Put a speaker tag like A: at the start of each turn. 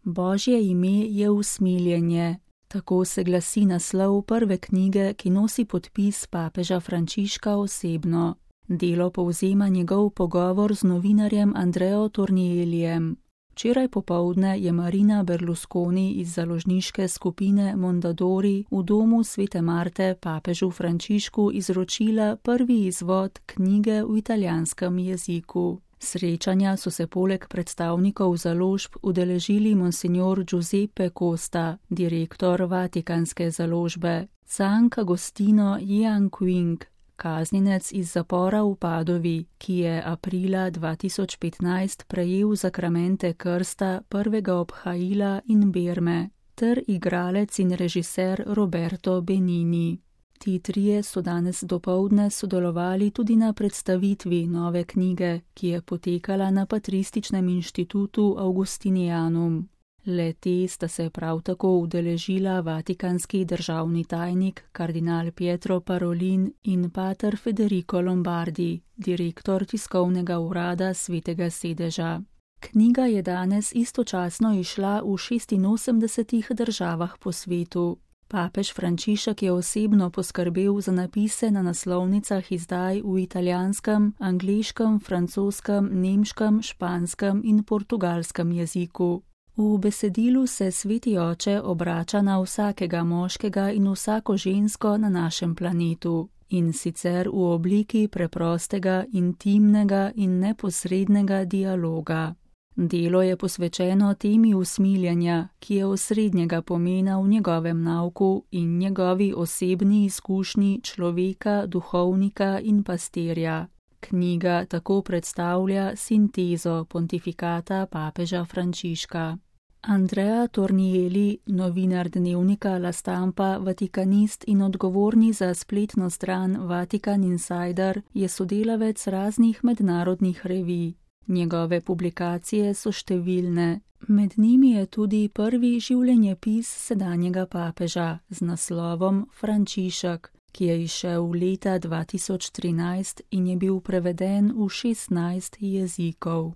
A: Božje ime je usmiljenje. Tako se glasi naslov prve knjige, ki nosi podpis papeža Frančiška osebno. Delo povzema njegov pogovor z novinarjem Andreo Tornielijem. Včeraj popoldne je Marina Berlusconi iz založniške skupine Mondadori v domu Svete Marte papežu Frančišku izročila prvi izvod knjige v italijanskem jeziku. Srečanja so se poleg predstavnikov založb udeležili monsignor Giuseppe Costa, direktor Vatikanske založbe, Cank Agostino Jianqing, kaznjenec iz zapora v Padovi, ki je aprila 2015 prejel zakramente krsta prvega obhajila in berme, ter igralec in režiser Roberto Benigni. Ti trije so danes dopoldne sodelovali tudi na predstavitvi nove knjige, ki je potekala na Patrističnem inštitutu Augustinianum. Le-te sta se prav tako udeležila vatikanski državni tajnik kardinal Pietro Parolin in pater Federico Lombardi, direktor tiskovnega urada Svetega sedeža. Knjiga je danes istočasno izšla v 86 državah po svetu. Papež Frančišek je osebno poskrbel za napise na naslovnicah izdaj v italijanskem, angleškem, francoskem, nemškem, španskem in portugalskem jeziku. V besedilu se Sveti Oče obrača na vsakega moškega in vsako žensko na našem planetu, in sicer v obliki preprostega, intimnega in neposrednega dialoga. Delo je posvečeno temi usmiljenja, ki je osrednjega pomena v njegovem nauku in njegovi osebni izkušnji človeka, duhovnika in pastirja. Knjiga tako predstavlja sintezo pontifikata papeža Frančiška. Andrea Tornieli, novinar dnevnika La Stampa, vatikanist in odgovorni za spletno stran Vatikan Insider, je sodelavec raznih mednarodnih revij. Njegove publikacije so številne. Med njimi je tudi prvi življenjepis sedanjega papeža z naslovom Frančišek, ki je izšel leta 2013 in je bil preveden v 16 jezikov.